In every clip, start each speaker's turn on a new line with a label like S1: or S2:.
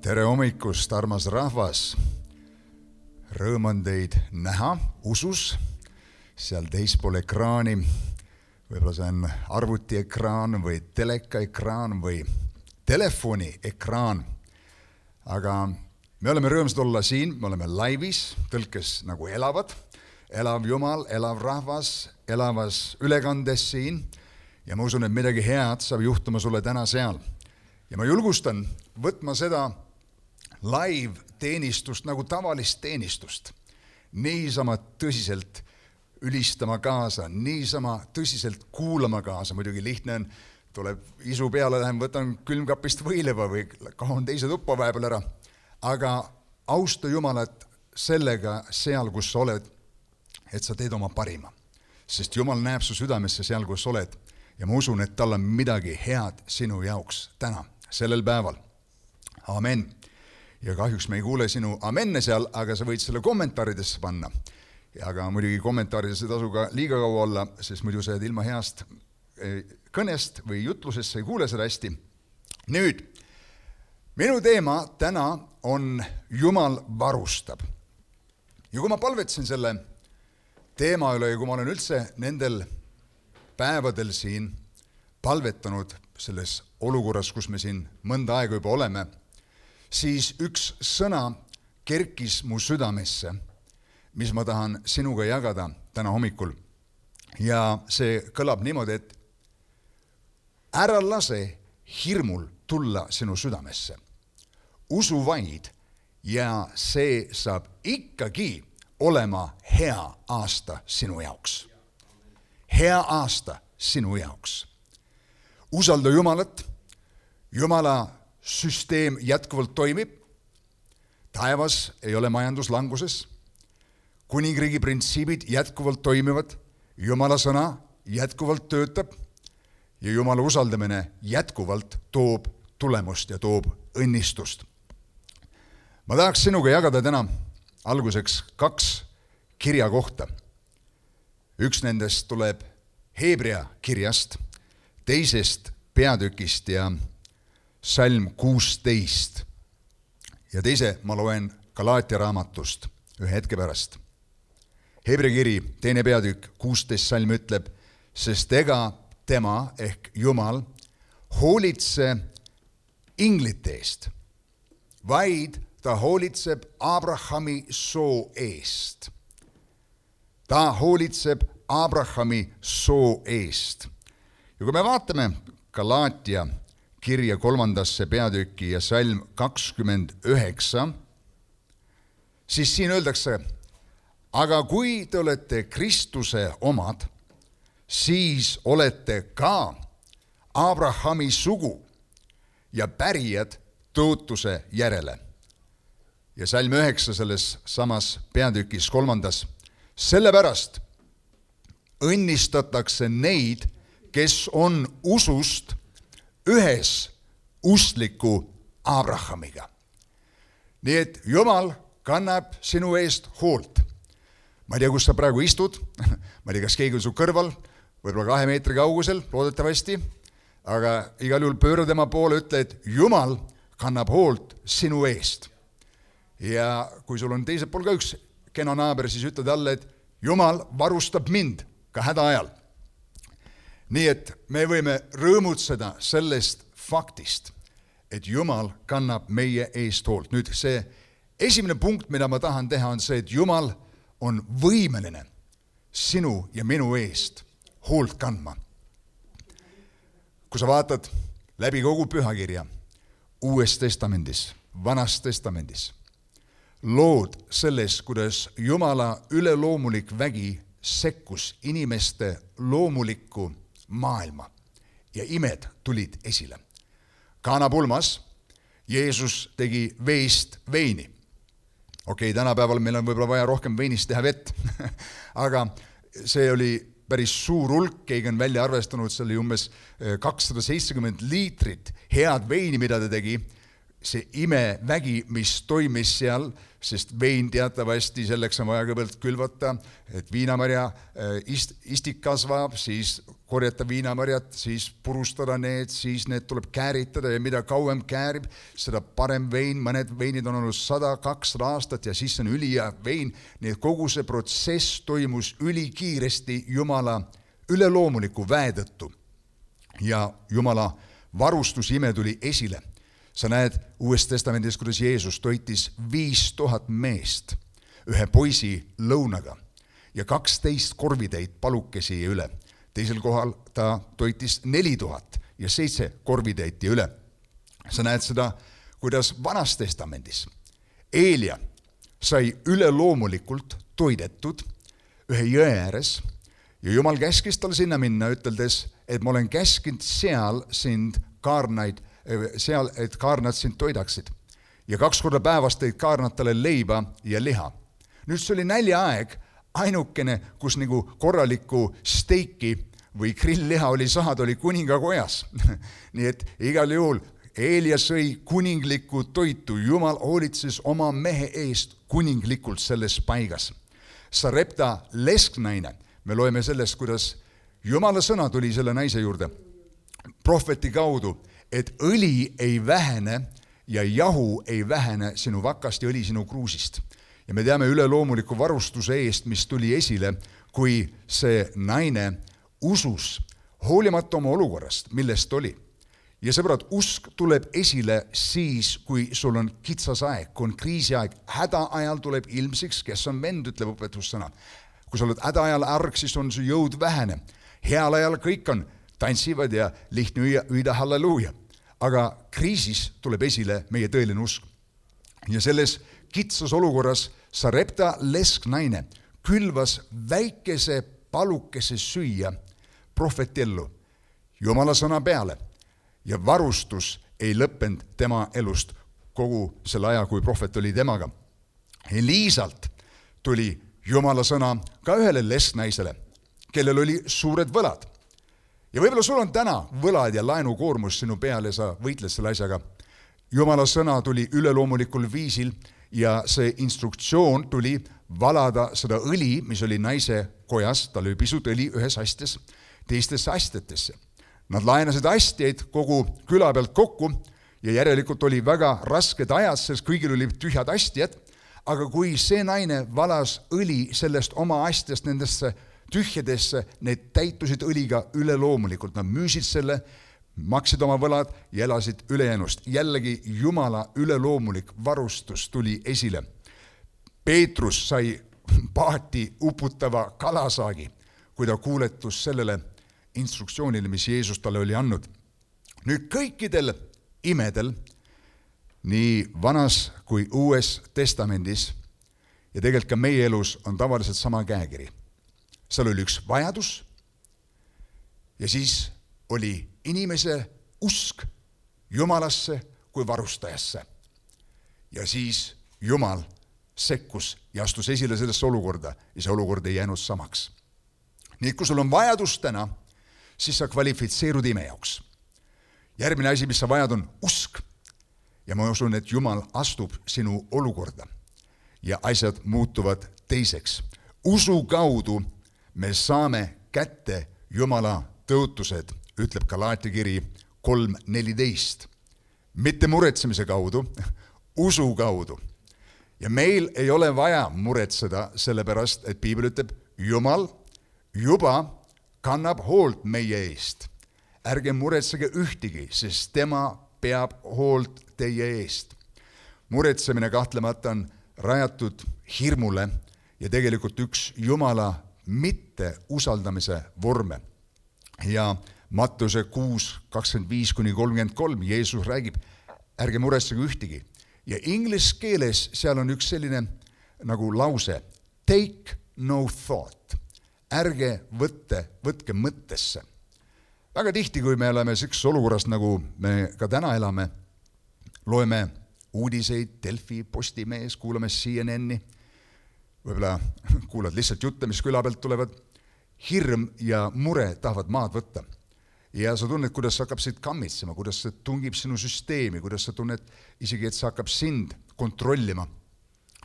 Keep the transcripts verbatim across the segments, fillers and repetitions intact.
S1: Tere hommikust, armas rahvas! Rõõm on teid näha usus, seal teispool ekraani. Võib-olla see on arvutiekraan või telekaekraan või telefoni-ekraan. Aga me oleme rõõmsad olla siin, me oleme laivis, tõlkes nagu elavad. Elav Jumal, elav rahvas, elavas ülekandes siin. Ja ma usun, et midagi head saab juhtuma sulle täna seal. Ja ma julgustan võtma seda live-teenistust nagu tavalist teenistust. Niisama tõsiselt ülistama kaasa, niisama tõsiselt kuulama kaasa. Muidugi lihtne on, tuleb isu peale, lähen võtan külmkapist võileva või kahon teise tuppa vahepeal ära. Aga austa Jumalat sellega seal, kus sa oled, et sa teed oma parima. Sest Jumal näeb su südamesse seal, kus oled. Ja ma usun, et tal on midagi head sinu jaoks täna, sellel päeval. Amen. Ja kahjuks me ei kuule sinu amenne seal, aga sa võid selle kommentaaridesse panna. Aga muidugi kommentaarides ei tasu ka liiga kaua olla, sest muidu sa jääd ilma heast kõnest või jutlusest, sa ei kuule seda hästi. Nüüd, minu teema täna on Jumal varustab. Ja kui ma palvetsin selle teema üle ja kui ma olen üldse nendel päevadel siin palvetanud selles olukorras, kus me siin mõnda aega juba oleme, siis üks sõna kerkis mu südamesse, mis ma tahan sinuga jagada täna hommikul. Ja see kõlab niimoodi, et ära lase hirmul tulla sinu südamesse. Usu vaid ja see saab ikkagi olema hea aasta sinu jaoks. Hea aasta sinu jaoks. Usalda Jumalat, Jumala süsteem jätkuvalt toimib, taevas ei ole majanduslanguses, kuningriigi printsiibid jätkuvalt toimivad, Jumala sõna jätkuvalt töötab ja Jumala usaldamine jätkuvalt toob tulemust ja toob õnnistust. Ma tahaks sinuga jagada täna alguseks kaks kirja kohta. Üks nendest tuleb Hebrea kirjast, teisest peatükist ja Salm kuusteist ja teise ma loen Galaatia raamatust ühe hetke pärast. Hebrea kiri, teine peatükk, kuusteist salm ütleb, sest ega tema ehk Jumal hoolitse inglite eest, vaid ta hoolitseb Abrahami soo eest. Ta hoolitseb Abrahami soo eest. Ja kui me vaatame Galaatia kirja kolmandasse peatükki ja salm kakskümmend üheksa, siis siin öeldakse, aga kui te olete Kristuse omad, siis olete ka Abrahami sugu ja pärijad tõotuse järele. Ja salm üheksa selles samas peatükis kolmandas, sellepärast õnnistatakse neid, kes on usust ühes ustliku Abrahamiga. Nii et Jumal kannab sinu eest hoolt. Ma ei tea, kus sa praegu istud, ma ei tea, kas keegi on su kõrval, võib-olla kahe meetri kaugusel, loodetavasti, aga igal juhul pööra tema poole, ütle, et Jumal kannab hoolt sinu eest. Ja kui sul on teisel pool ka üks kena naaber, siis ütle talle, et Jumal varustab mind ka häda ajal. Nii et me võime rõõmutseda sellest faktist, et Jumal kannab meie eest hoolt. Nüüd see esimene punkt, mida ma tahan teha, on see, et Jumal on võimeline sinu ja minu eest hoolt kandma. Kui sa vaatad läbi kogu pühakirja, Uues testamendis, Vanas testamendis, lood selles, kuidas Jumala üleloomulik vägi sekkus inimeste loomulikku maailma ja imed tulid esile. Kaana pulmas Jeesus tegi veist veini. Okei, tänapäeval meil on võib-olla vaja rohkem veinist teha vett, aga see oli päris suur hulk, keegi on välja arvestanud, see oli umbes kakssada seitsekümmend liitrit head veini, mida ta tegi. See imevägi, mis toimis seal, sest vein teatavasti selleks on vaja kõigepealt külvata, et viinamarja ist, istik kasvab, siis korjata viinamarjad, siis purustada need, siis need tuleb kääritada ja mida kauem käärib, seda parem vein, mõned veinid on olnud sada, kakssada aastat ja siis on ülihea vein, nii et kogu see protsess toimus ülikiiresti Jumala üleloomuliku väe tõttu ja Jumala varustusime tuli esile. Sa näed Uues Testamendis, kuidas Jeesus toitis viis tuhat meest ühe poisi lõunaga ja kaksteist korvitäit palukesi üle. Teisel kohal ta toitis neli tuhat ja seitse korvitäiti üle. Sa näed seda, kuidas Vanas Testamendis Eelia sai üleloomulikult toidetud ühe jõe ääres ja Jumal käskis tal sinna minna, üteldes, et ma olen käskinud seal sind kaarnaid, seal, et kaarnad sind toidaksid. Ja kaks korda päevas tõid kaarnad talle leiba ja liha. Nüüd see oli näljaaeg, ainukene, kus nagu korralikku steiki või grillliha oli saada, oli kuningakojas. Nii et igal juhul Eelia sõi kuninglikku toitu. Jumal hoolitses oma mehe eest kuninglikult selles paigas. Sarepta lesknaine, me loeme sellest, kuidas Jumala sõna tuli selle naise juurde prohveti kaudu, et õli ei vähene ja jahu ei vähene sinu vakast ja õli sinu kruusist. Ja me teame üleloomuliku varustuse eest, mis tuli esile, kui see naine usus, hoolimata oma olukorrast, millest oli. Ja sõbrad, usk tuleb esile siis, kui sul on kitsas aeg, kui on kriisiaeg. Häda ajal tuleb ilmsiks, kes on vend, ütleb õpetussõna. Kui sa oled häda ajal arg, siis on su jõud vähene. Heal ajal kõik on, tantsivad ja lihtne hüüda halleluuja. Aga kriisis tuleb esile meie tõeline usk. Ja selles kitsas olukorras Sarepta lesknaine külvas väikese palukese süüa prohveti ellu Jumala sõna peale ja varustus ei lõppenud tema elust kogu selle aja, kui prohvet oli temaga. Eliisalt tuli Jumala sõna ka ühele lesknaisele, kellel oli suured võlad. Ja võib-olla sul on täna võlad ja laenukoormus sinu peal ja sa võitled selle asjaga. Jumala sõna tuli üleloomulikul viisil ja see instruktsioon tuli valada seda õli, mis oli naise kojas, tal oli pisut õli ühes astes, teistesse astetesse. Nad laenasid astjaid kogu küla pealt kokku ja järelikult oli väga rasked ajad, sest kõigil oli tühjad astjad, aga kui see naine valas õli sellest oma astjast nendesse tühjadesse, need täitusid õliga üleloomulikult, nad müüsid selle, maksid oma võlad ja elasid ülejäänust. Jällegi Jumala üleloomulik varustus tuli esile. Peetrus sai paati uputava kalasaagi, kui ta kuuletus sellele instruktsioonile, mis Jeesus talle oli andnud. Nüüd kõikidel imedel, nii Vanas kui Uues Testamendis ja tegelikult ka meie elus on tavaliselt sama käekiri. Seal oli üks vajadus ja siis oli inimese usk Jumalasse kui varustajasse. Ja siis Jumal sekkus ja astus esile sellesse olukorda ja see olukord ei jäänud samaks. Nii et kui sul on vajadus täna, siis sa kvalifitseerud ime jaoks. Järgmine asi, mis sa vajad, on usk. Ja ma usun, et Jumal astub sinu olukorda ja asjad muutuvad teiseks. Usu kaudu me saame kätte Jumala tõotused, ütleb Galaatia kiri kolm neliteist. Mitte muretsemise kaudu, usu kaudu. Ja meil ei ole vaja muretseda sellepärast, et Piibel ütleb, Jumal juba kannab hoolt meie eest. Ärge muretsege ühtegi, sest tema peab hoolt teie eest. Muretsemine kahtlemata on rajatud hirmule ja tegelikult üks Jumala mitte usaldamise vorme. Ja Mattuse kuus kakskümmend viis kuni kolmkümmend kolm Jeesus räägib, ärge muretsege ühtegi. Ja inglise keeles seal on üks selline nagu lause, take no thought. Ärge võtte, võtke mõttesse. Väga tihti, kui me oleme sellises olukorras, nagu me ka täna elame, loeme uudiseid Delfi, Postimees, kuulame C N N-i, võib-olla kuulad lihtsalt jutte, mis küla pealt tulevad, hirm ja mure tahavad maad võtta. Ja sa tunned, kuidas sa hakkab siit kammitsema, kuidas see tungib sinu süsteemi, kuidas sa tunned isegi, et sa hakkab sind kontrollima.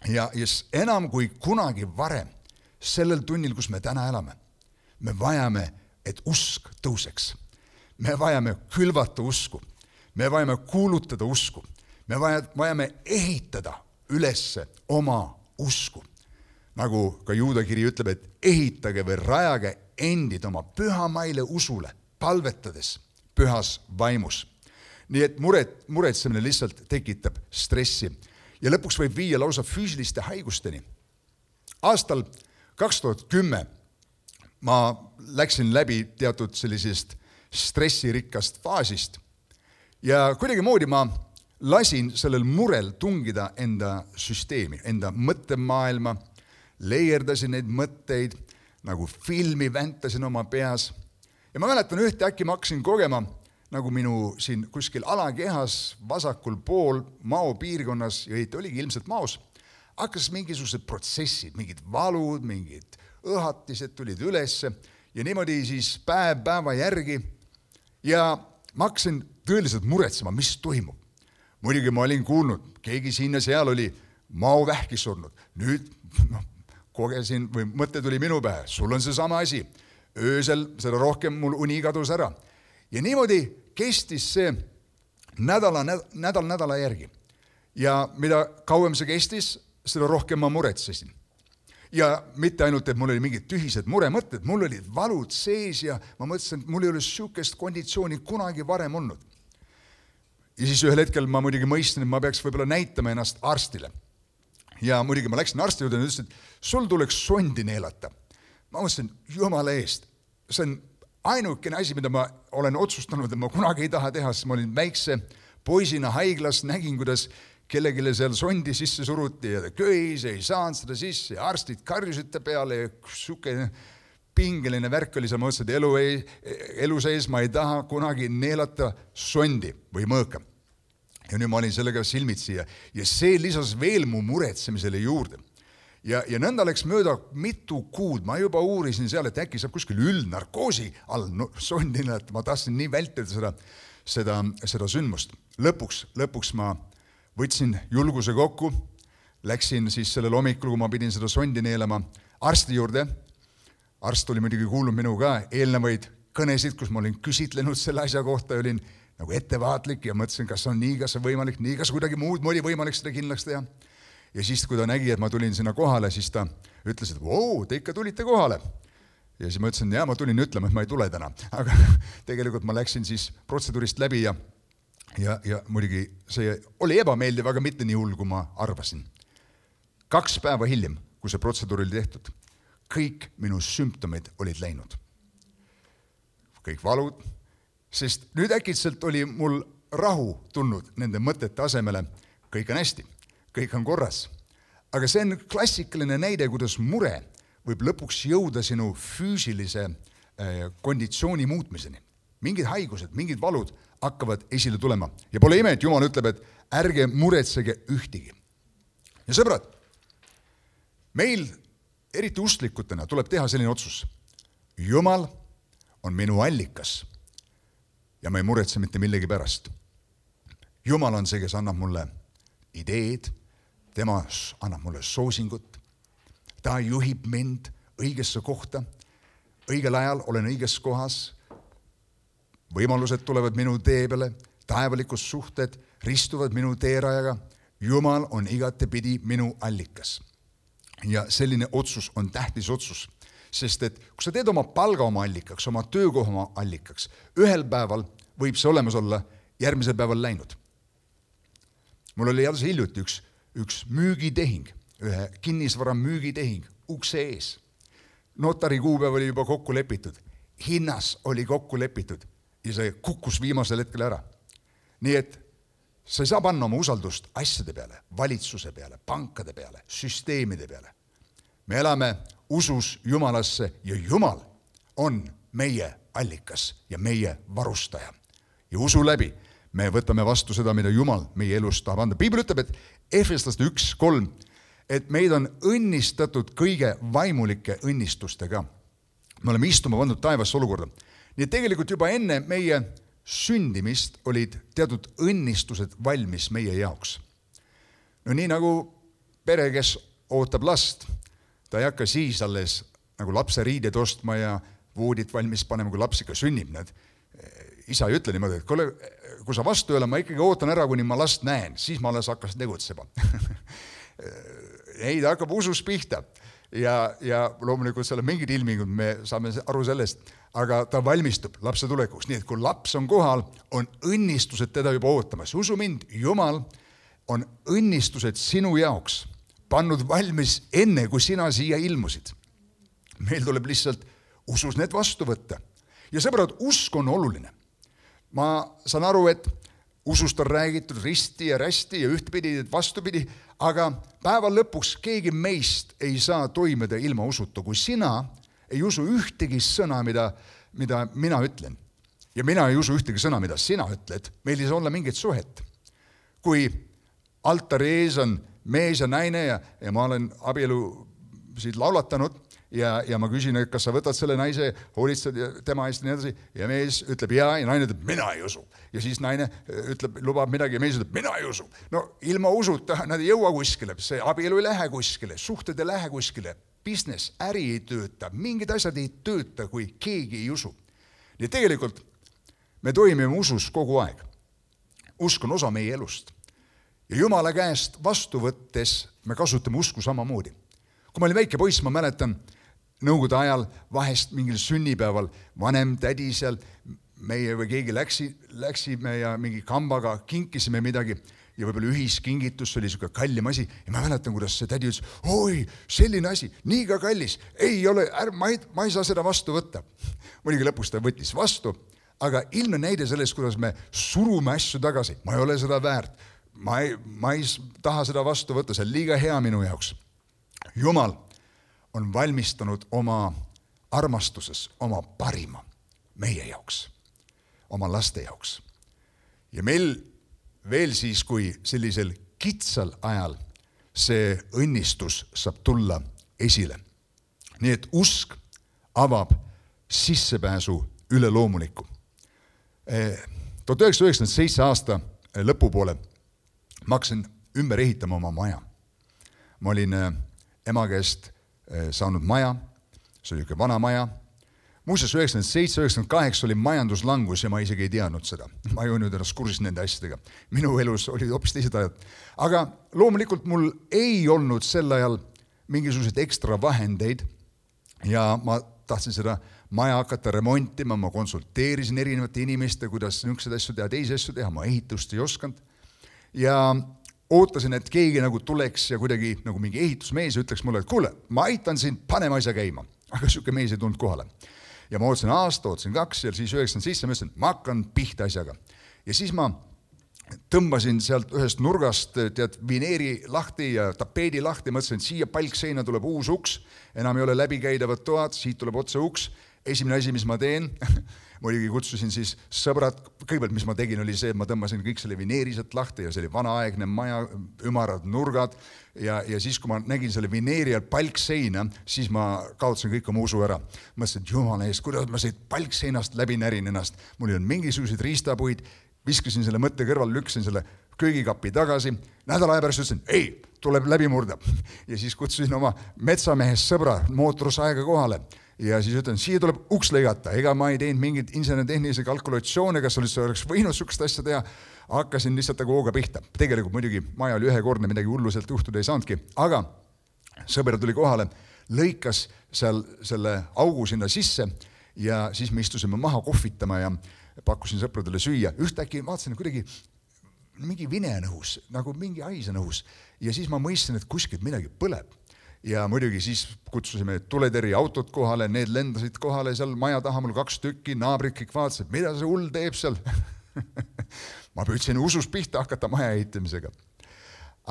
S1: Ja, ja enam kui kunagi varem, sellel tunnil, kus me täna elame, me vajame et usk tõuseks. Me vajame külvata usku, me vajame kuulutada usku, me vajame ehitada ülesse oma usku. Nagu ka Juuda kiri ütleb, et ehitage või rajage endid oma pühamaile usule, palvetades pühas vaimus. Nii et muret, muretsemine lihtsalt tekitab stressi ja lõpuks võib viia lausa füüsiliste haigusteni. Aastal kaks tuhat kümme ma läksin läbi teatud sellisest stressirikkast faasist ja kuidagi moodi ma lasin sellel murel tungida enda süsteemi, enda mõttemaailma, leierdasin neid mõtteid, nagu filmi väntasin oma peas. Ja ma mäletan ühte äkki ma hakkasin kogema, nagu minu siin kuskil alakehas vasakul pool mao piirkonnas, ja õieti oligi ilmselt maos, hakkas mingisugused protsessid, mingid valud, mingid õhatised tulid ülesse ja niimoodi siis päev päeva järgi. Ja ma hakkasin tõeliselt muretsema, mis toimub. Muidugi ma olin kuulnud, keegi siin ja seal oli mao vähki surnud. Nüüd no, kogesin või mõte tuli minu pähe, sul on see sama asi. Öösel seda rohkem mul uni kadus ära. Ja niimoodi kestis see nädala, nädal nädala järgi. Ja mida kauem see kestis, seda rohkem ma muretsesin. Ja mitte ainult, et mul oli mingid tühised muremõtted, mul olid valud sees ja ma mõtlesin, et mul ei ole sükest konditsiooni kunagi varem olnud. Ja siis ühel hetkel ma muidugi mõistsin, et ma peaks võib-olla näitama ennast arstile. Ja muidugi ma läksin arsti juurde ja ütlesin, et sul tuleks sondi neelata. Ma mõtlesin, jumala eest, see on ainukene asi, mida ma olen otsustanud, et ma kunagi ei taha teha, sest ma olin väikse poisina haiglas, nägin, kuidas kellegile seal sondi sisse suruti ja ta köis, ei saanud seda sisse ja arstid karjusite peale ja suke pingeline värk oli seal, ma mõtlesin, et elu, ei, elu sees ma ei taha kunagi neelata sondi või mõõka. Ja nüüd ma olin sellega silmitsi ja, ja see lisas veel mu muretsemisele juurde. Ja, ja nõnda läks mööda mitu kuud, ma juba uurisin seal, et äkki saab kuskil üldnarkoosi all no, sondi neelata, ma tahtsin nii vältida seda, seda, seda sündmust. Lõpuks, lõpuks ma võtsin julguse kokku, läksin siis sellel hommikul, kui ma pidin seda sondi neelama arsti juurde. Arst oli muidugi kuulnud minu ka eelnevaid kõnesid, kus ma olin küsitlenud selle asja kohta ja olin nagu ettevaatlik ja mõtlesin, kas on nii, kas on võimalik, nii, kas kuidagi muud moodi võimalik seda kindlaks teha. Ja siis, kui ta nägi, et ma tulin sinna kohale, siis ta ütles, et vau, te ikka tulite kohale. Ja siis ma ütlesin, jah, ma tulin ütlema, et ma ei tule täna. Aga tegelikult ma läksin siis protseduurist läbi ja Ja, ja muidugi see oli ebameeldiv, aga mitte nii hull, kui ma arvasin. Kaks päeva hiljem, kui see protseduur oli tehtud, kõik minu sümptomid olid läinud. Kõik valud, sest nüüd äkitselt oli mul rahu tulnud nende mõtete asemele. Kõik on hästi, kõik on korras. Aga see on klassikaline näide, kuidas mure võib lõpuks jõuda sinu füüsilise konditsiooni muutmiseni. Mingid haigused, mingid valud hakkavad esile tulema. Ja pole ime, et Jumal ütleb, et ärge muretsege ühtigi. Ja sõbrad, meil eriti usklikutena tuleb teha selline otsus. Jumal on minu allikas ja ma ei muretse mitte millegi pärast. Jumal on see, kes annab mulle ideed, tema annab mulle soosingut, ta juhib mind õigesse kohta, õigel ajal olen õiges kohas, võimalused tulevad minu tee peale, taevalikud suhted ristuvad minu teerajaga. Jumal on igatepidi minu allikas. Ja selline otsus on tähtis otsus, sest et kui sa teed oma palga oma allikaks, oma töökoha oma allikaks, ühel päeval võib see olemas olla järgmisel päeval läinud. Mul oli jälle hiljuti üks, üks müügitehing, ühe kinnisvara müügitehing ukse ees. Notari kuupäev oli juba kokku lepitud, hinnas oli kokku lepitud. Ja see kukkus viimasel hetkel ära. Nii et sa ei saa panna oma usaldust asjade peale, valitsuse peale, pankade peale, süsteemide peale. Me elame usus Jumalasse ja Jumal on meie allikas ja meie varustaja. Ja usu läbi me võtame vastu seda, mida Jumal meie elus tahab anda. Piibel ütleb, et Efeslaste üks kolm, et meid on õnnistatud kõige vaimulike õnnistustega. Me oleme istuma pandud taevasse olukorda. Nii et tegelikult juba enne meie sündimist olid teatud õnnistused valmis meie jaoks. No nii nagu pere, kes ootab last, ta ei hakka siis alles nagu lapse riided ostma ja voodit valmis panema, kui laps ikka sünnib. Need. Isa ei ütle niimoodi, et kuule, kui sa vastu ei ole, ma ikkagi ootan ära, kuni ma last näen, siis ma alles hakkas tegutsema. Ei, ta hakkab usus pihta. Ja, ja loomulikult seal on mingid ilmingud, me saame aru sellest, aga ta valmistub lapse tulekuks. Nii et kui laps on kohal, on õnnistused teda juba ootamas. Usu mind, Jumal on õnnistused sinu jaoks pannud valmis enne, kui sina siia ilmusid. Meil tuleb lihtsalt usus need vastu võtta. Ja sõbrad, usk on oluline. Ma saan aru, et usust on räägitud risti ja rästi ja ühtpidi, et vastupidi, aga päeva lõpuks keegi meist ei saa toimeda ilma usuta, kui sina ei usu ühtegi sõna, mida, mida mina ütlen. Ja mina ei usu ühtegi sõna, mida sina ütled. Meil ei saa olla mingit suhet. Kui altari ees on mees ja naine ja, ja ma olen abielu siit laulatanud ja, ja ma küsin, et kas sa võtad selle naise, hoolitsed tema eest ja nii edasi, ja mees ütleb jaa ja naine ütleb, mina ei usu. Ja siis naine ütleb, lubab midagi ja mees ütleb, mina ei usu. No ilma usuta nad ei jõua kuskile, see abielu ei lähe kuskile, suhted ei lähe kuskile, business, äri ei tööta, mingid asjad ei tööta, kui keegi ei usu. Nii tegelikult me toimime usus kogu aeg. Usk on osa meie elust. Ja Jumala käest vastu võttes me kasutame usku samamoodi. Kui ma olin väike poiss, ma mäletan, nõukogude ajal vahest mingil sünnipäeval vanem tädi seal, meie või keegi läksi, läksime ja mingi kambaga kinkisime midagi ja võib-olla ühiskingitus, see oli selline kallim asi ja ma mäletan, kuidas see tädi ütles, oi, selline asi, nii ka kallis, ei ole, är, ma, ei, ma ei saa seda vastu võtta. Muidugi lõpus ta võttis vastu, aga ilmne näide sellest, kuidas me surume asju tagasi, ma ei ole seda väärt, ma ei, ma ei taha seda vastu võtta, see on liiga hea minu jaoks. Jumal on valmistanud oma armastuses oma parima meie jaoks, oma laste jaoks. Ja meil veel siis, kui sellisel kitsal ajal see õnnistus saab tulla esile. Nii et usk avab sissepääsu üle loomuliku. tuhat üheksasada üheksakümmend seitse aasta lõpupoole ma hakkasin ümber ehitama oma maja. Ma olin ema käest saanud maja, see oli üks vana maja. Muuseas, üheksakümmend seitse üheksakümmend kaheksa oli majanduslangus ja ma isegi ei teadnud seda. Ma ei olnud ennast kursis nende asjadega. Minu elus oli hoopis teised ajad. Aga loomulikult mul ei olnud sel ajal mingisuguseid ekstra vahendeid ja ma tahtsin seda maja hakata remontima, ma konsulteerisin erinevate inimeste, kuidas niisuguseid asju teha, teisi asju teha, ma ehitust ei osanud. Ja ootasin, et keegi nagu tuleks ja kuidagi nagu mingi ehitusmees ütleks mulle, et kuule, ma aitan sind, panema asja käima. Aga siuke mees ei tulnud kohale. Ja ma ootasin aasta, ootasin kaks ja siis üheksakümmend seitse ma ütlesin, ma hakkan pihta asjaga. Ja siis ma tõmbasin sealt ühest nurgast tead, vineeri lahti ja tapeedi lahti, mõtlesin, et siia palkseina tuleb uus uks, enam ei ole läbikäidavad toad, siit tuleb otse uks. Esimene asi, mis ma teen, muidugi kutsusin siis sõbrad, kõigepealt mis ma tegin, oli see, et ma tõmbasin kõik selle vineeriselt lahti ja see oli vanaaegne maja, ümarad nurgad ja, ja siis, kui ma nägin selle vineeri all palkseina, siis ma kaotasin kõik oma usu ära. Mõtlesin, et jumala eest, kuidas ma siit palkseinast läbi närin ennast. Mul on mingisuguseid riistapuid, viskasin selle mõtte kõrval, lükkasin selle köögikapi tagasi. Nädala aja pärast ütlesin, ei, tuleb läbi murda. Ja siis kutsusin oma metsamehest sõbra mootorsaega kohale. Ja siis ütlen, siia tuleb uks lõigata, ega ma ei teinud mingit inseneritehnilise kalkulatsioone, kas oleks võinud sukest asja teha, hakkasin lihtsalt nagu hooga pihta. Tegelikult muidugi maja oli ühekordne, midagi hulluselt juhtuda ei saanudki, aga sõber tuli kohale, lõikas seal selle augu sinna sisse ja siis me istusime maha kohvitama ja pakkusin sõpradele süüa. Ühtäkki vaatasin kuidagi mingi vine nõus, nagu mingi haise nõus ja siis ma mõistsin, et kuskilt midagi põleb. Ja muidugi siis kutsusime tuleteri autod kohale, need lendasid kohale seal maja taha, mul kaks tükki, naabrid kõik vaatasid, mida see hull teeb seal. Ma püüdsin usus pihta hakata maja ehitamisega.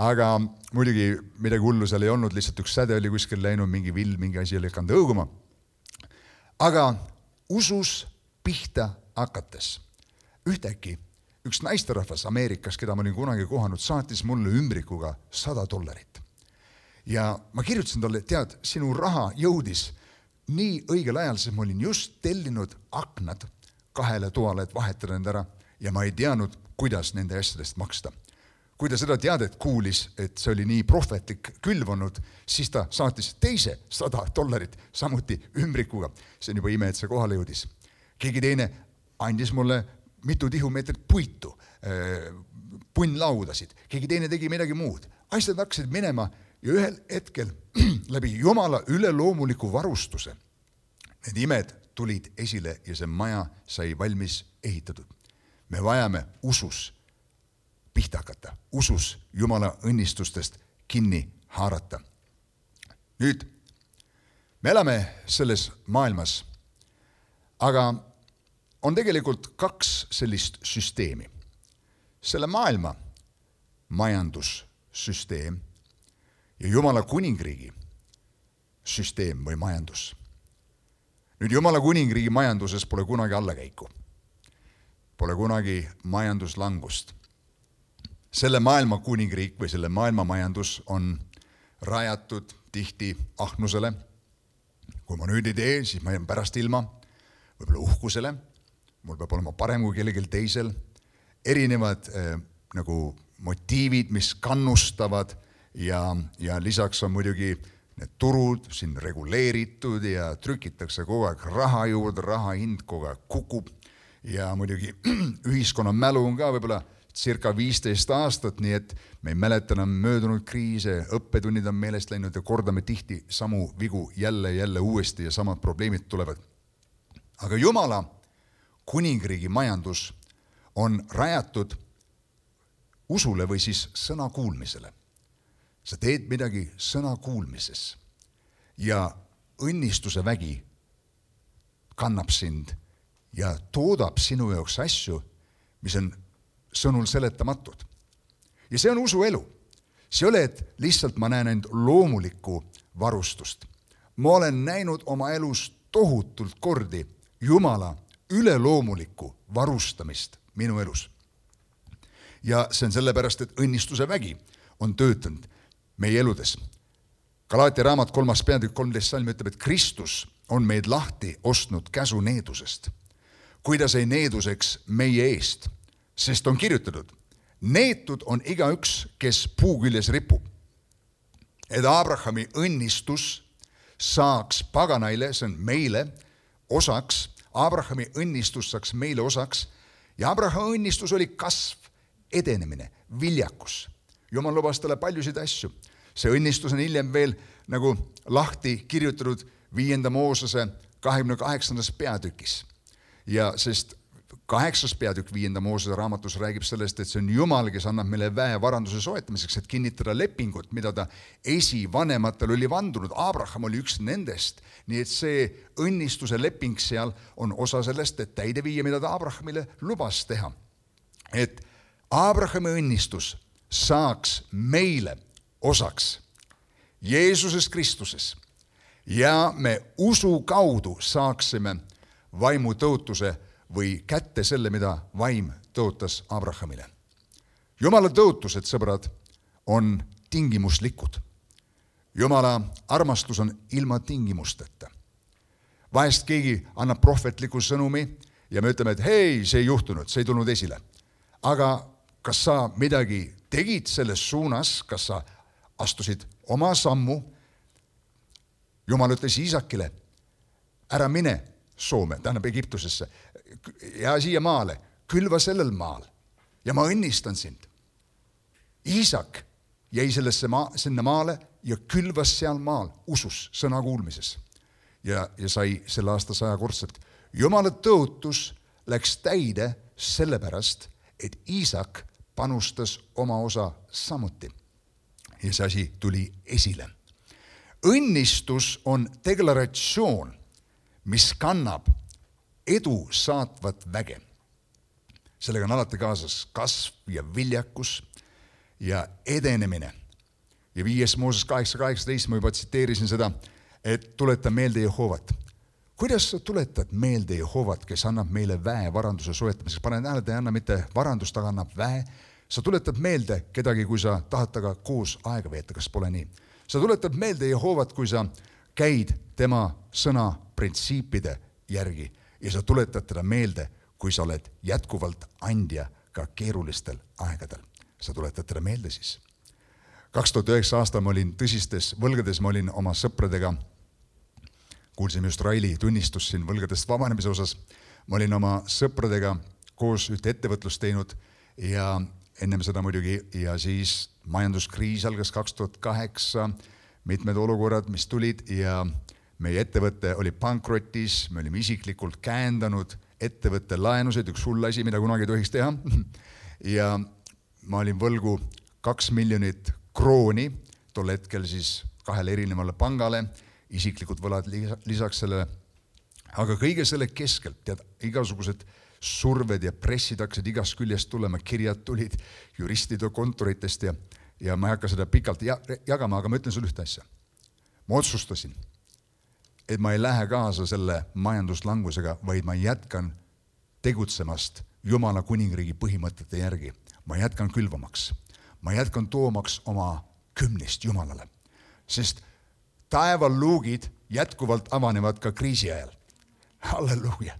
S1: Aga muidugi midagi hullu seal ei olnud, lihtsalt üks säde oli kuskil läinud, mingi vill, mingi asi oli hakanud õuguma. Aga usus pihta hakates ühtäkki üks naisterahvas Ameerikas, keda ma olin kunagi kohanud, saatis mulle ümbrikuga sada dollarit. Ja ma kirjutasin talle, tead, sinu raha jõudis nii õigel ajal, sest ma olin just tellinud aknad kahele toale, et vahetada need ära ja ma ei teadnud, kuidas nende asjadest maksta. kui ta seda teadet kuulis, et see oli nii prohvetlik külvanud, siis ta saatis teise sada dollarit samuti ümbrikuga. See on juba ime, et see kohale jõudis. Keegi teine andis mulle mitu tihumeetrit puitu, punnlaudasid. Keegi teine tegi midagi muud. Asjad hakkasid minema ja ühel hetkel läbi Jumala üleloomuliku varustuse need imed tulid esile ja see maja sai valmis ehitatud. Me vajame usus pihta hakata, usus Jumala õnnistustest kinni haarata. Nüüd, me elame selles maailmas, aga on tegelikult kaks sellist süsteemi. Selle maailma majandussüsteem ja Jumala kuningriigi süsteem või majandus. Nüüd Jumala kuningriigi majanduses pole kunagi allakäiku. Pole kunagi majanduslangust. Selle maailma kuningriik või selle maailma majandus on rajatud tihti ahnusele. Kui ma nüüd ei tee, siis ma jään pärast ilma, võib-olla uhkusele. Mul peab olema parem kui kellegil teisel. Erinevad eh, nagu motiivid, mis kannustavad ja, ja lisaks on muidugi need turud siin reguleeritud ja trükitakse kogu aeg raha juurde, raha hind kogu aeg kukub ja muidugi ühiskonna mälu on ka võib-olla circa viisteist aastat, nii et me ei mäleta enam möödunud kriise, õppetunnid on meelest läinud ja kordame tihti samu vigu jälle jälle uuesti ja samad probleemid tulevad. Aga Jumala kuningriigi majandus on rajatud usule või siis sõna kuulmisele. Sa teed midagi sõna kuulmises ja õnnistuse vägi kannab sind ja toodab sinu jaoks asju, mis on sõnul seletamatud. Ja see on usuelu. See ei ole, et lihtsalt ma näen end loomulikku varustust. Ma olen näinud oma elus tohutult kordi Jumala üleloomulikku varustamist minu elus. Ja see on sellepärast, et õnnistuse vägi on töötanud meie eludes. Galaatia raamat kolmas peatükk kolmteist salm ütleb, et Kristus on meid lahti ostnud käsu needusest, kui ta sai needuseks meie eest, sest on kirjutatud, neetud on igaüks, kes puu küljes ripub. Et Abrahami õnnistus saaks paganaile, see on meile osaks, Abrahami õnnistus saaks meile osaks ja Abrahami õnnistus oli kasv, edenemine, viljakus. Jumal lubas talle paljusid asju. See õnnistus on hiljem veel nagu lahti kirjutatud viienda Moosese kahekümne kaheksandas peatükis. Ja sest kaheksas peatükk viienda Moosese raamatus räägib sellest, et see on Jumal, kes annab meile väe varanduse soetamiseks, et kinnitada lepingut, mida ta esivanematel oli vandunud. Abraham oli üks nendest, nii et see õnnistuse leping seal on osa sellest, et täide viia, mida ta Abrahamile lubas teha. Et Abrahami õnnistus saaks meile osaks Jeesuses Kristuses ja me usu kaudu saaksime vaimu tõotuse või kätte selle, mida vaim tõotas Abrahamile. Jumala tõotused, sõbrad, on tingimuslikud. Jumala armastus on ilma tingimusteta. Vahest keegi annab prohvetliku sõnumi ja me ütleme, et hei, see ei juhtunud, see ei tulnud esile. Aga kas sa midagi tegid selles suunas, kas sa astusid oma sammu? Jumal ütles Iisakile, ära mine Soome, tähendab Egiptusesse ja siia maale, külva sellel maal ja ma õnnistan sind. Iisak jäi sellesse maa, sinna maale ja külvas seal maal usus, sõna kuulmises ja, ja sai selle aasta sajakordselt. Jumala tõotus läks täide sellepärast, et Iisak panustas oma osa samuti ja see asi tuli esile. Õnnistus on deklaratsioon, mis kannab edu saatvat väge. Sellega on alati kaasas kasv ja viljakus ja edenemine. Ja viies Mooses kaheksa kaheksateist, ma juba tsiteerisin seda, et tuleta meelde Jehovat. Kuidas sa tuletad meelde Jehovat, kes annab meile väe varanduse soetamiseks? Pane tähele, ta ei anna mitte varandust, aga annab väe. Sa tuletad meelde kedagi, kui sa tahad taga koos aega veeta, kas pole nii? Sa tuletad meelde Jehovat, kui sa käid tema sõna printsiipide järgi ja sa tuletad teda meelde, kui sa oled jätkuvalt andja ka keerulistel aegadel. sa tuletad teda meelde siis. kaks tuhat üheksa aastal ma olin tõsistes võlgades, ma olin oma sõpradega, kuulsime just Raili tunnistus siin võlgadest vabanemise osas, ma olin oma sõpradega koos ühte ettevõtlust teinud ja ennem seda muidugi ja siis majanduskriis algas kaks tuhat kaheksa, mitmed olukorrad, mis tulid ja meie ettevõte oli pankrotis, me olime isiklikult käendanud ettevõtte laenusid, üks hull asi, mida kunagi ei tohiks teha. Ja ma olin võlgu kaks miljonit krooni, tol hetkel siis kahele erinevale pangale, isiklikud võlad lisaks sellele. Aga kõige selle keskelt, tead, igasugused surved ja pressid hakkasid igast küljest tulema, kirjad tulid juristide kontoritest ja, ja ma ei hakka seda pikalt jagama, aga ma ütlen sulle ühte asja. Ma otsustasin, et ma ei lähe kaasa selle majanduslangusega, vaid ma jätkan tegutsemast Jumala kuningriigi põhimõtete järgi. Ma jätkan külvamaks. Ma jätkan toomaks oma kümnist Jumalale. Sest taevaluugid jätkuvalt avanevad ka kriisi ajal. Halleluuja.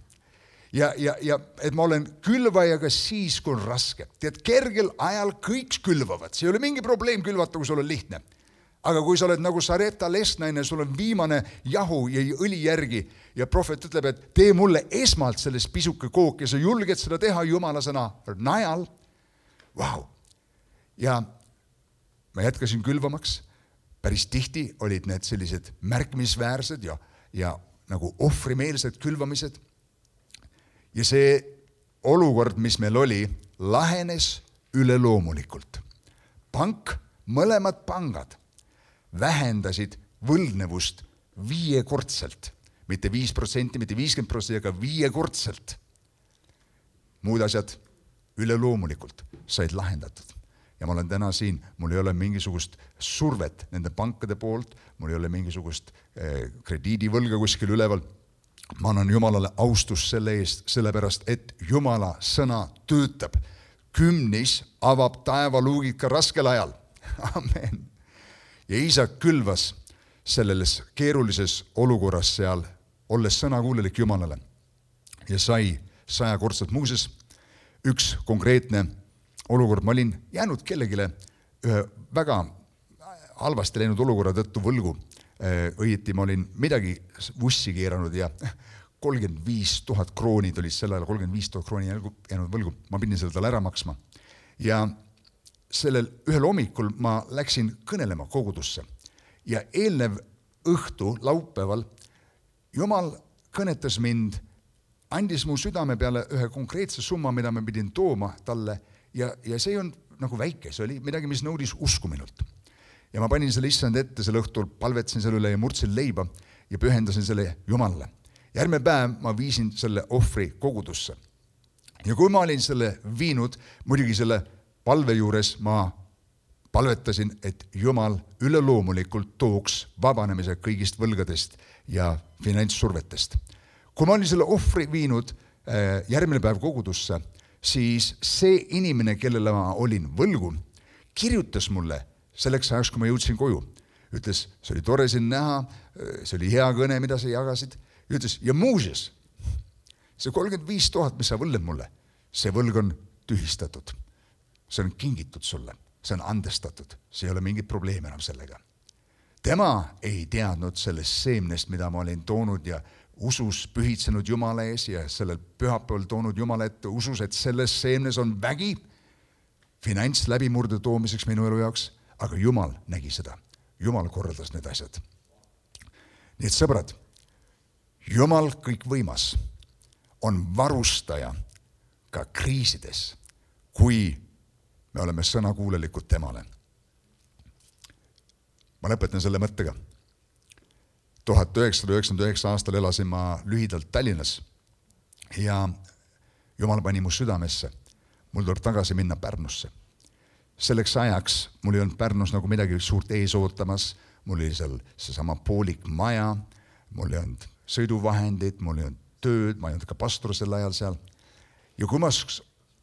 S1: Ja, ja, ja et ma olen külvajaga siis, kui on raske. Tead, kergel ajal kõik külvavad. See ei ole mingi probleem külvata, kui sul on lihtne. Aga kui sa oled nagu Sareta Lesnaine, sul on viimane jahu ja õli järgi ja prohvet ütleb, et tee mulle esmalt sellest pisuke kook ja sa julged seda teha Jumala sõna najal. Vau! Ja ma jätkasin külvamaks. Päris tihti olid need sellised märkimisväärsed ja, ja nagu ohvrimeelsed külvamised. Ja see olukord, mis meil oli, lahenes üleloomulikult. Pank, mõlemad pangad vähendasid võlgnevust viiekordselt. Mitte viis protsenti, mitte viiskümmend protsenti, aga viiekordselt. Muud asjad üleloomulikult said lahendatud. Ja ma olen täna siin, mul ei ole mingisugust survet nende pankade poolt, mul ei ole mingisugust eh, krediidivõlga kuskil üleval. Ma annan Jumalale austus selle eest, sellepärast, et Jumala sõna töötab. Kümnis avab taevaluugid ka raskel ajal. Amen. Ja Iisak külvas selles keerulises olukorras seal, olles sõnakuulelik Jumalale ja sai sajakordselt. Muuses üks konkreetne olukord, ma olin jäänud kellegile ühe väga halvasti läinud olukorra tõttu võlgu. Õieti ma olin midagi vussi keeranud ja kolmkümmend viis tuhat kroonid olid sel ajal, kolmkümmend viis tuhat krooni jäänud võlgu. Ma pidin selle tal ära maksma. Ja sellel ühel hommikul ma läksin kõnelema kogudusse ja eelnev õhtu laupäeval Jumal kõnetas mind, andis mu südame peale ühe konkreetse summa, mida ma pidin tooma talle ja, ja see on nagu väike, see oli midagi, mis nõudis usku minult. Ja ma panin selle issand ette selle õhtul, palvetsin selle üle ja murdsin leiba ja pühendasin selle Jumalale. Järgmine päev ma viisin selle ohvri kogudusse. Ja kui ma olin selle viinud, muidugi selle palve juures ma palvetasin, et Jumal üleloomulikult tooks vabanemise kõigist võlgadest ja finantssurvetest. Kui ma olin selle ohvri viinud järgmine päev kogudusse, siis see inimene, kellele ma olin võlgu, kirjutas mulle selleks ajaks, kui ma jõudsin koju. Ütles, see oli tore siin näha, see oli hea kõne, mida sa jagasid. Ütles, ja muuseas, see kolmkümmend viis tuhat, mis sa võlled mulle, see võlg on tühistatud. See on kingitud sulle, see on andestatud, see ei ole mingit probleemi enam sellega. Tema ei teadnud sellest seemnest, mida ma olin toonud ja usus pühitsenud Jumala ees ja sellel pühapäeval toonud Jumala ette usus, et selles seemnes on vägi finants läbimurde toomiseks minu elu jaoks, aga Jumal nägi seda. Jumal korraldas need asjad. Nii et sõbrad, Jumal kõik võimas on varustaja ka kriisides, kui me oleme sõnakuulelikud temale. Ma lõpetan selle mõttega. tuhat üheksasada üheksakümmend üheksa aastal elasin ma lühidalt Tallinnas ja Jumal pani mu südamesse. Mul tuleb tagasi minna Pärnusse. Selleks ajaks mul ei olnud Pärnus nagu midagi suurt ees ootamas. Mul oli seal seesama poolik maja, mul ei olnud sõiduvahendid, mul ei olnud tööd, ma ei olnud ka pastor sel ajal seal. Ja kui ma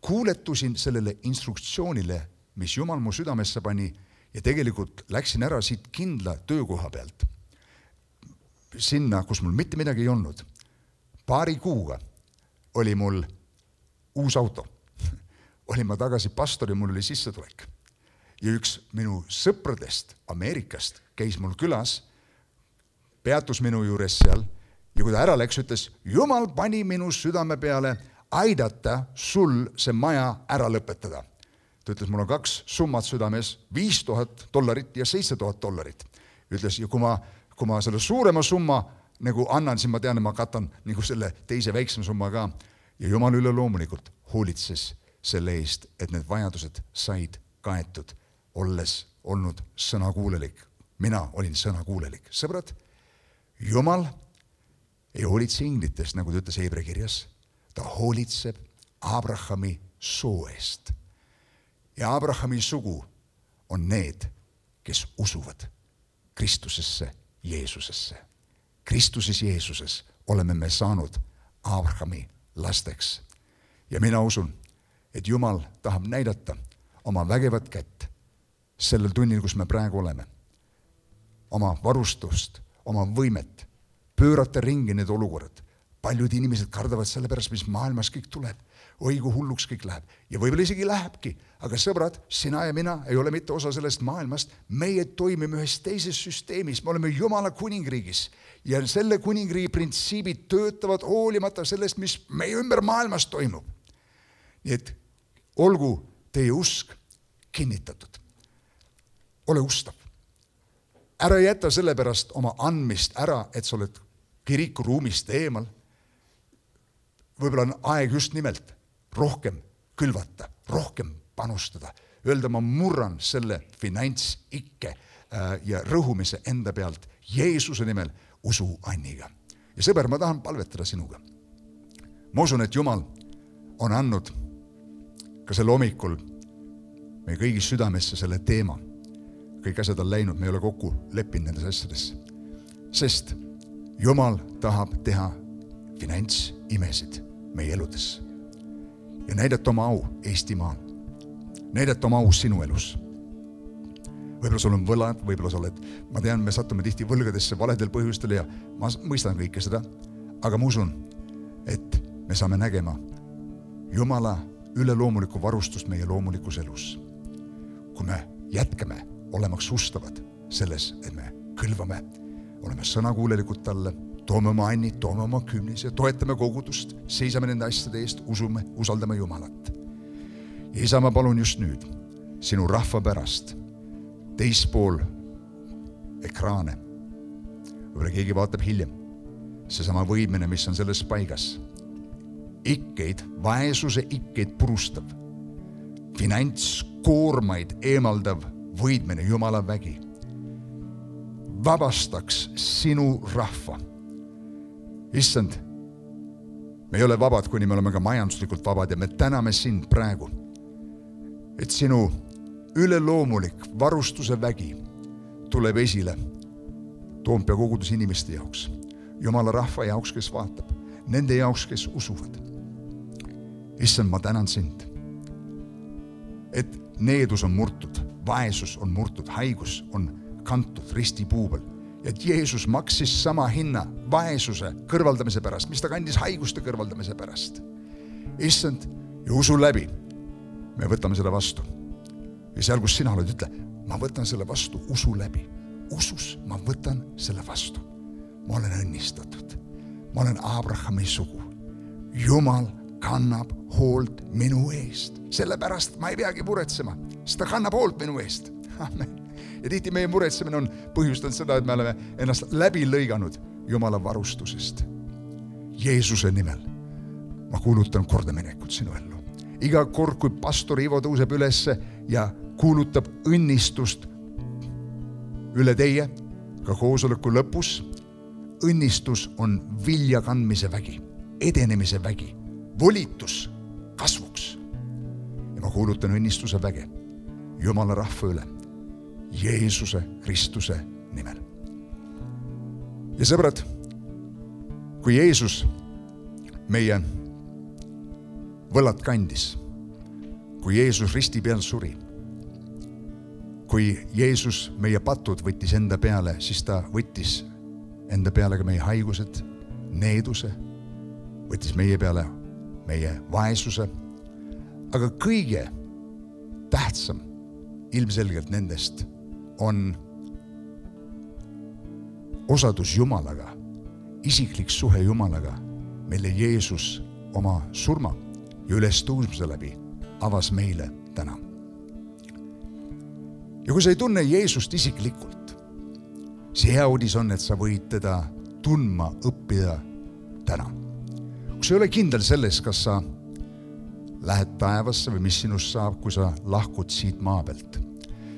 S1: kuuletusin sellele instruktsioonile, mis Jumal mu südamesse pani ja tegelikult läksin ära siit kindla töökoha pealt sinna, kus mul mitte midagi ei olnud. Paari kuuga oli mul uus auto, olin ma tagasi pastor ja mul oli sissetulek. Ja üks minu sõpradest Ameerikast käis mul külas, peatus minu juures seal ja kui ta ära läks, ütles, Jumal pani minu südame peale aidata sul see maja ära lõpetada. Ta ütles, mul on kaks summat südames, viis tuhat dollarit ja seitse tuhat dollarit. Ütles, ja kui ma, kui ma selle suurema summa nagu annan, siis ma tean, et ma katan nagu selle teise väiksema summa ka. Ja Jumal üle loomulikult hoolitses selle eest, et need vajadused said kaetud, olles olnud sõnakuulelik. Mina olin sõnakuulelik. Sõbrad, Jumal ei hoolitse inglitest, nagu ta ütles Heebrea kirjas. Ta hoolitseb Abrahami soo eest. Ja Abrahami sugu on need, kes usuvad Kristusesse, Jeesusesse. Kristuses Jeesuses oleme me saanud Abrahami lasteks. Ja mina usun, et Jumal tahab näidata oma vägevat kätt sellel tunnil, kus me praegu oleme. Oma varustust, oma võimet, pöörata ringi need olukorrad. Paljud inimesed kardavad selle pärast, mis maailmas kõik tuleb. Oi, kui hulluks kõik läheb. Ja võib-olla isegi lähebki. Aga sõbrad, sina ja mina ei ole mitte osa sellest maailmast. Meie toimime ühes teises süsteemis. Me oleme Jumala kuningriigis. Ja selle kuningriigi printsiibid töötavad hoolimata sellest, mis meie ümber maailmas toimub. Nii et olgu teie usk kinnitatud. Ole ustav. Ära jäta selle pärast oma andmist ära, et sa oled kirikuruumist eemal. Võib-olla on aeg just nimelt rohkem külvata, rohkem panustada. Öelda, ma murran selle finantsikke ja rõhumise enda pealt Jeesuse nimel usu anniga. Ja sõber, ma tahan palvetada sinuga. Ma usun, et Jumal on andnud ka selle hommikul meie kõigi südamesse selle teema. Kõik asjad on läinud, me ei ole kokku leppinud nendes asjadesse. Sest Jumal tahab teha finantsimesid meie eludes. Ja näidata oma au Eestimaal. Näidata oma au sinu elus. Võib-olla sul on võlad, võib-olla sa oled, ma tean, me satume tihti võlgadesse valedel põhjustel ja ma mõistan kõike seda, aga ma usun, et me saame nägema Jumala üleloomulikku varustust meie loomulikus elus. Kui me jätkame olemaks ustavad selles, et me kõlvame, oleme sõnakuulelikud talle, toome oma annid, toome oma kümnis ja toetame kogudust, seisame nende asjade eest, usume, usaldame Jumalat. Ja isa, ma palun just nüüd sinu rahva pärast teispool ekraane. Võib-olla keegi vaatab hiljem. Seesama võimene, mis on selles paigas. Ikkeid, vaesuse ikkeid purustav, finantskoormaid eemaldav võidmine, Jumala vägi. Vabastaks sinu rahva. Issand, me ei ole vabad, kuni me oleme ka majanduslikult vabad ja me täname sind praegu, et sinu üleloomulik varustuse vägi tuleb esile Toompea kogudus inimeste jaoks, Jumala rahva jaoks, kes vaatab, nende jaoks, kes usuvad. Issand, ma tänan sind, et needus on murtud, vaesus on murtud, haigus on kantud ristipuubel. Ja et Jeesus maksis sama hinna vaesuse kõrvaldamise pärast, mis ta kandis haiguste kõrvaldamise pärast. Issand, ja usu läbi, me võtame seda vastu. Ja seal, kus sina oled, ütle, ma võtan selle vastu usu läbi. Usus ma võtan selle vastu. Ma olen õnnistatud. Ma olen Abrahami sugu. Jumal kannab hoolt minu eest. Sellepärast ma ei peagi muretsema, sest ta kannab hoolt minu eest. Amen. Ja tihti meie muretsemine on põhjustanud seda, et me oleme ennast läbi lõiganud Jumala varustusest. Jeesuse nimel ma kuulutan kordaminekut sinu ellu. Iga kord, kui pastor Ivo tõuseb ülesse ja kuulutab õnnistust üle teie, ka koosoleku lõpus, õnnistus on vilja kandmise vägi, edenemise vägi, volitus kasvuks. Ja ma kuulutan õnnistuse väge Jumala rahva üle. Jeesuse Kristuse nimel. Ja sõbrad, kui Jeesus meie võlad kandis, kui Jeesus risti peal suri, kui Jeesus meie patud võttis enda peale, siis ta võttis enda peale ka meie haigused, needuse, võttis meie peale meie vaesuse, aga kõige tähtsam ilmselgelt nendest on osadus Jumalaga, isiklik suhe Jumalaga, mille Jeesus oma surma ja ülestõusmise läbi avas meile täna. Ja kui sa ei tunne Jeesust isiklikult, see hea uudis on, et sa võid teda tundma õppida täna. Kui sa ei ole kindel selles, kas sa lähed taevasse või mis sinust saab, kui sa lahkud siit maa pealt,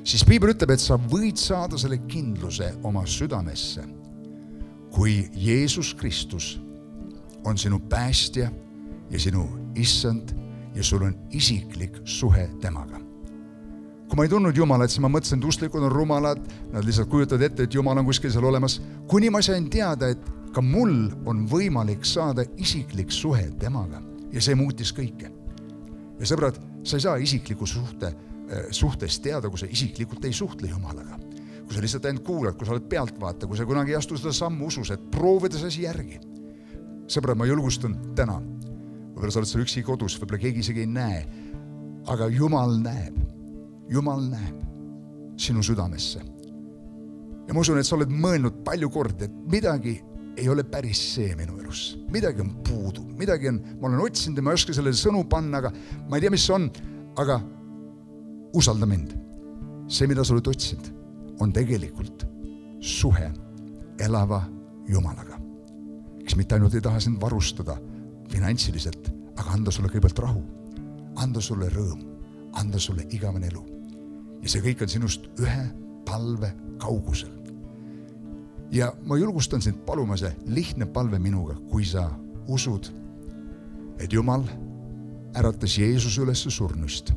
S1: siis Piibel ütleb, et sa võid saada selle kindluse oma südamesse, kui Jeesus Kristus on sinu päästja ja sinu issand ja sul on isiklik suhe temaga. Kui ma ei tundnud Jumalat, siis ma mõtlesin, et usklikud on rumalad, nad lihtsalt kujutavad ette, et Jumal on kuskil seal olemas. Kuni ma sain teada, et ka mul on võimalik saada isiklik suhe temaga ja see muutis kõike. Ja sõbrad, sa ei saa isikliku suhte, suhtest teada, kui sa isiklikult ei suhtle Jumalaga. Kui sa lihtsalt ainult kuulad, kui sa oled pealtvaata, kui sa kunagi ei astu seda sammu usus, et proovida see asi järgi. Sõbrad, ma julgustan täna. Võib-olla sa oled seal üksi kodus, võib-olla keegi isegi ei näe, aga Jumal näeb. Jumal näeb sinu südamesse. Ja ma usun, et sa oled mõelnud palju kord, et midagi ei ole päris see minu elus. Midagi on puudu, midagi on, ma olen otsinud ja ma ei oska selle sõnu panna, aga ma ei tea, mis see on, aga usalda mind. See, mida sa oled otsinud, on tegelikult suhe elava Jumalaga, kes mitte ainult ei taha sind varustada finantsiliselt, aga anda sulle kõigepealt rahu, anda sulle rõõm, anda sulle igavene elu. Ja see kõik on sinust ühe palve kaugusel. Ja ma julgustan sind paluma see lihtne palve minuga, kui sa usud, et Jumal äratas Jeesus üles surnust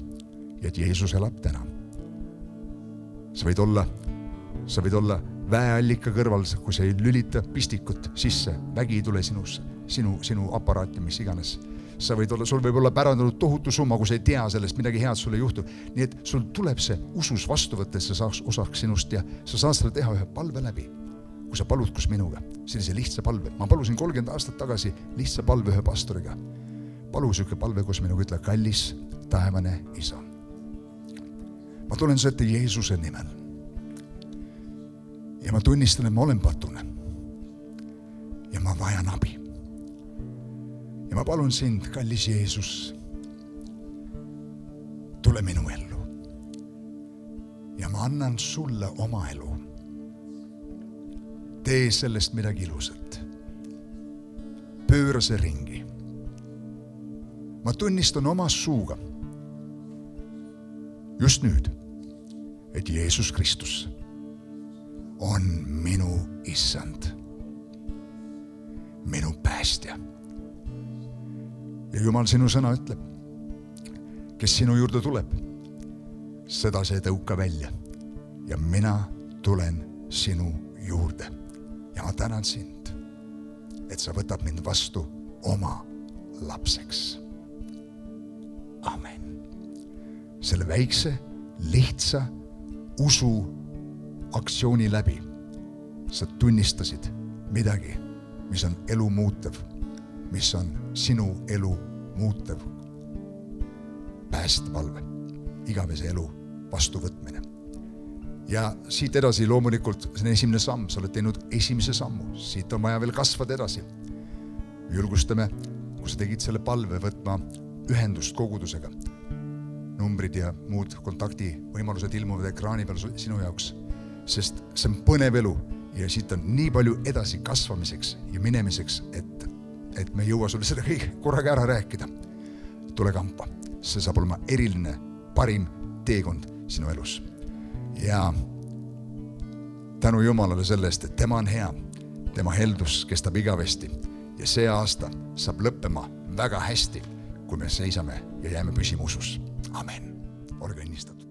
S1: ja et Jeesus elab täna. Sa võid olla, sa võid olla väeallika kõrval, kui sa ei lülita pistikut sisse, vägi ei tule sinusse, sinu, sinu aparaati, mis iganes. Sa võid olla, sul võib olla pärandanud tohutu summa, kui sa ei tea sellest, midagi head sulle juhtub. Nii et sul tuleb see usus vastu võtta, et sa saaks osaks sinust ja sa saad seda teha ühe palve läbi. Kui sa palud kus minuga, sellise lihtsa palve. Ma palusin kolmkümmend aastat tagasi lihtsa palve ühe pastoriga. Palu süke palve, kus minuga ütle, kallis taevane isa. Ma tulen su ette Jeesuse nimel. Ja ma tunnistan, et ma olen patune. Ja ma vajan abi. Ja ma palun sind, kallis Jeesus, tule minu ellu. Ja ma annan sulle oma elu. Tee sellest midagi ilusat. Pööra see ringi. Ma tunnistan oma suuga just nüüd, et Jeesus Kristus on minu issand, minu päästja. Ja Jumal sinu sõna ütleb, kes sinu juurde tuleb, seda see tõuka välja. Ja mina tulen sinu juurde. Ja ma tänan sind, et sa võtad mind vastu oma lapseks. Amen. Selle väikse, lihtsa usu aktsiooni läbi sa tunnistasid midagi, mis on elu muutev, mis on sinu elu muutev päästepalve, igavese elu vastuvõtmine. Ja siit edasi loomulikult see on esimene samm, sa oled teinud esimese sammu, siit on vaja veel kasvada edasi. Julgustame, kui sa tegid selle palve võtma ühendust kogudusega, numbrid ja muud kontakti võimalused ilmuvad ekraani peal sinu jaoks, sest see on põnev elu ja siit on nii palju edasi kasvamiseks ja minemiseks, et, et me ei jõua sulle seda kõik korraga ära rääkida. Tule kampa, see saab olema eriline, parim teekond sinu elus. Ja tänu Jumalale sellest, et tema on hea, tema heldus kestab igavesti ja see aasta saab lõppema väga hästi, kui me seisame ja jääme püsima usus. Amen. Olge õnnistatud.